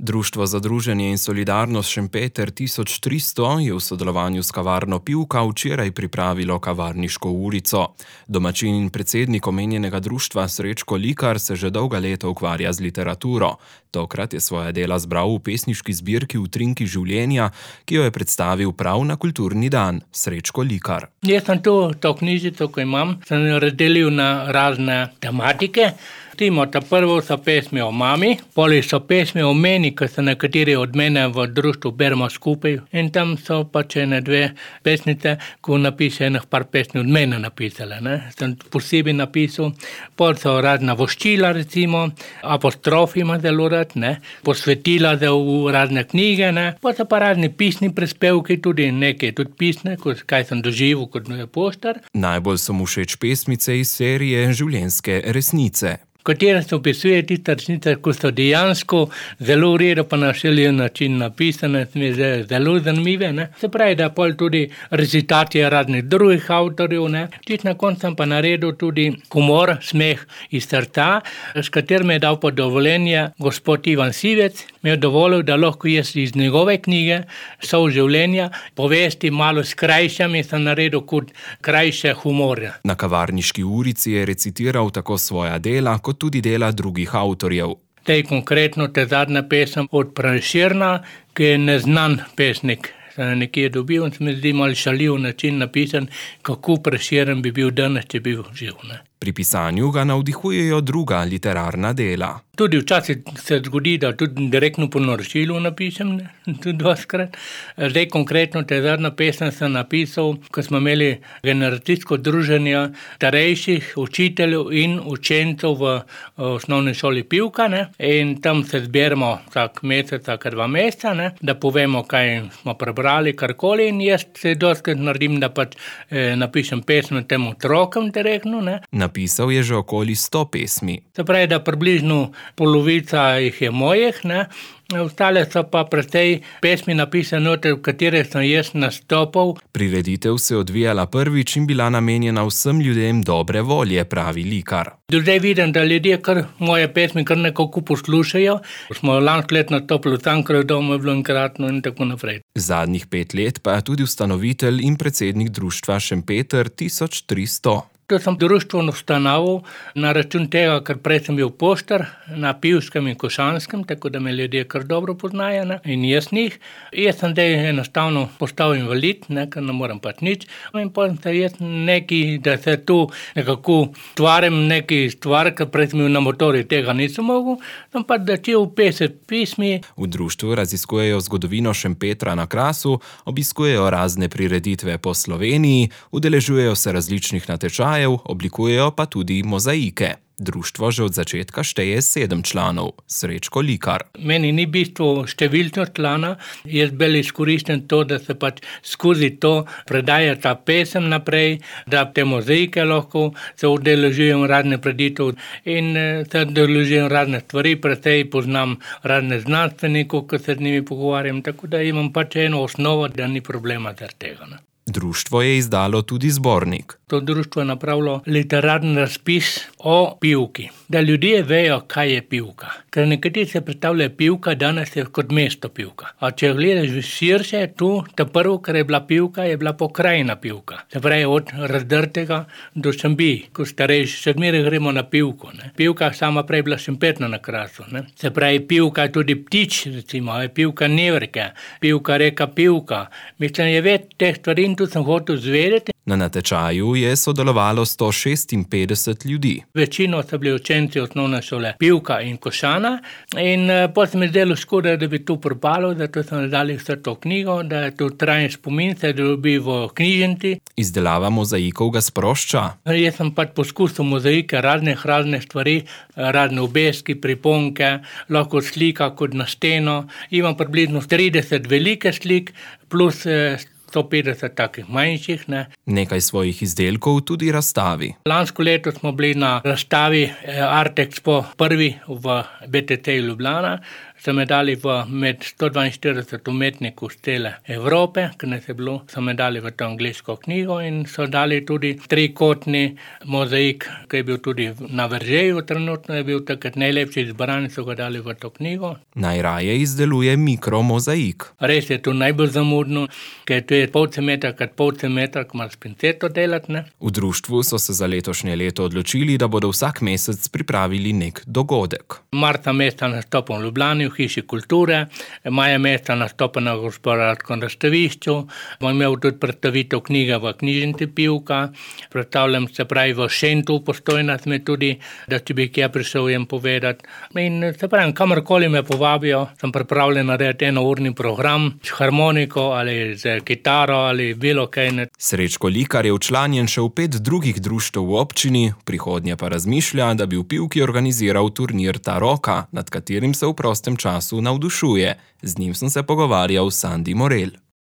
Društvo za druženje in solidarnost Šempeter 1300 je v sodelovanju s kavarno Pivka včeraj pripravilo kavarniško urico. Domačin in predsednik omenjenega društva Srečko Likar se že dolga leta ukvarja z literaturo. Tokrat je svoja dela zbral v pesniški zbirki Utrinki življenja, ki jo je predstavil prav na kulturni dan. Srečko Likar. Jaz sem to knjižico, ko imam, sem razdelil na razne tematike. Ta prvo so pesmi o mami, poli so pesmi o meni, ki so nekateri od mene v društvu beremo skupaj. In tam so pač ene dve pesnice, ko napiše enih par pesmi od mene napisale. Sem posebej napisal. Pol so razna voščila, recimo, apostrofi ima zelo rad, posvetila za v razne knjige. Pol so pa razni pisni prispevki, tudi nekaj tudi pisne, kaj sem doživel kot poštar. Najbolj so mu všeč pesmice iz serije Življenjske resnice, katere se opisuje tiste resnice, ko so dejansko zelo v redu pa na šeljen način napisane, mi je zelo zanimive. Se pravi, da pol tudi recitacije raznih drugih avtorjev. Čisto na koncu sem pa naredil tudi humor, smeh iz srca, s katerim je dal pa dovoljenje gospod Ivan Sivec, mi je dovolil, da lahko jaz iz njegove knjige Sol življenja povesti malo skrajšam in sem naredil kot krajše humorje. Na kavarniški urici je recitiral tako svoja dela, kot tudi dela drugih avtorjev. Konkretno zadnja pesem od Prešerna, ki je neznan pesnik. Sem nekje dobil in se mi zdi malo šaljiv način napisan, kako Prešeren bi bil danes, če bi bil živ. Pri pisanju ga navdihujejo druga literarna dela. Tudi včasih se zgodi, da tudi direktno po naročilu napišem, tudi dvakrat. Zdaj konkretno zadnja pesem sem napisal, ko smo imeli generacijsko druženje starejših učiteljev in učencev v osnovni šoli Pivka. In tam se zberemo vsak mesec, vsaka 2 meseca, da povemo, kaj smo prebrali, karkoli. In jaz se dostakrat naredim, da pač napišem pesem tem otrokom direktno. Napisal je že okoli 100 pesmi. Se pravi, da približno polovica jih je mojih, ostale so pa precej pesmi napisane, v katere sem jaz nastopal. Prireditev se je odvijala prvič in bila namenjena vsem ljudem dobre volje, pravi Likar. Do zdaj vidim, da ljudje kar moje pesmi kar nekako poslušajo. Smo lansko leto nastopili v Cankarjevem domu, je bilo enkratno in tako naprej. Zadnjih 5 let pa je tudi ustanovitelj in predsednik društva Šempeter 1300. To sem društvo ustanovil na račun tega, ker prej sem bil poštar na Pivskem in Košanskem, tako da me ljudje kar dobro poznajo in jaz njih. Jaz sem zdaj enostavno postal invalid, ker ne morem pač nič. In potem se jaz neki, da se tu nekako stvarem neki stvar, ker prej sem bil na motorju, tega nisem mogel, sem pač začel pisati pismi. V društvu raziskujejo zgodovino Šempetra na Krasu, obiskujejo razne prireditve po Sloveniji, udeležujejo se različnih natečajev, oblikujejo pa tudi mozaike. Društvo že od začetka šteje 7 članov. Srečko Likar. Meni ni bistvo številčnost člana, jaz bolj izkoristim to, da se pač skozi to predaja ta pesem naprej, da te mozaike lahko se udeležujem razne preditev in se udeležujem razne stvari, precej poznam razne znanstvenikov, ki se z njimi pogovarjam, tako da imam pač eno osnovo, da ni problema zaradi tega. Društvo je izdalo tudi zbornik. To društvo je napravilo literarni razpis o Pivki, da ljudje vejo, kaj je Pivka. Ker nekateri se predstavljajo Pivka, danes je kot mesto Pivka. A če gledaš širše, tu, ta prvo, kar je bila Pivka, je bila pokrajina Pivka. Se pravi, od Razdrtega do Šambij, ko starejši, še zmeraj gremo na Pivko. Pivka sama prej bila Šempetna na Krasu. Se pravi, Pivka je tudi ptič, recimo, je Pivka Nevrke, Pivka reka Pivka. Mislim, je več teh stvari in tu sem hotel zvedeti. Na natečaju je sodelovalo 156 ljudi. Večino so bili učenci osnovne šole Pivka in Košana in potem se mi zdelo škoda, da bi to propalo, zato sem dali vse to knjigo, da je to trajen spomin, se dobi v knjižnici. Izdelava mozaikov ga sprošča. Jaz sem pač poskusil mozaike, razne stvari, razne obeski, priponke, lahko slika kot na steno. Imam približno 30 velike slik plus 150 takih manjših. Nekaj svojih izdelkov tudi razstavi. Lansko leto smo bili na razstavi Art Expo prvi v BTT Ljubljana. so me dali med 142 umetnikov z cele Evrope, ki nas je bilo, so me dali v to angliško knjigo in so dali tudi trikotni mozaik, ki je bil tudi na Veržeju, trenutno je bil takrat najlepši izbran, so ga dali v to knjigo. Najraje izdeluje mikromozaik. Res je to najbolj zamudno, ker to je pol centimetra krat pol centimetra, ko moraš s pinceto delati, ne. V društvu so se za letošnje leto odločili, da bodo vsak mesec pripravili nek dogodek. Marca meseca nastopam v Ljubljani v Hiši kulture, maja meseca nastopam na Gospodarskem razstavišču, bom imel tudi predstavitev knjige v knjižnici Pivka, predstavljam se pravi v Šentu v Postojni sme tudi, da če bi kje prišel jim povedati. In se pravi, kamorkoli me povabijo, sem pripravljen narediti enourni program s harmoniko ali z kitaro ali bilo kaj. Srečko Likar je včlanjen še v 5 drugih društev v občini, v prihodnje pa razmišlja, da bi v Pivki organiziral turnir Ta roka, nad katerim se v prostem času navdušuje. Z njim sem se pogovarjal s Sandi Morel.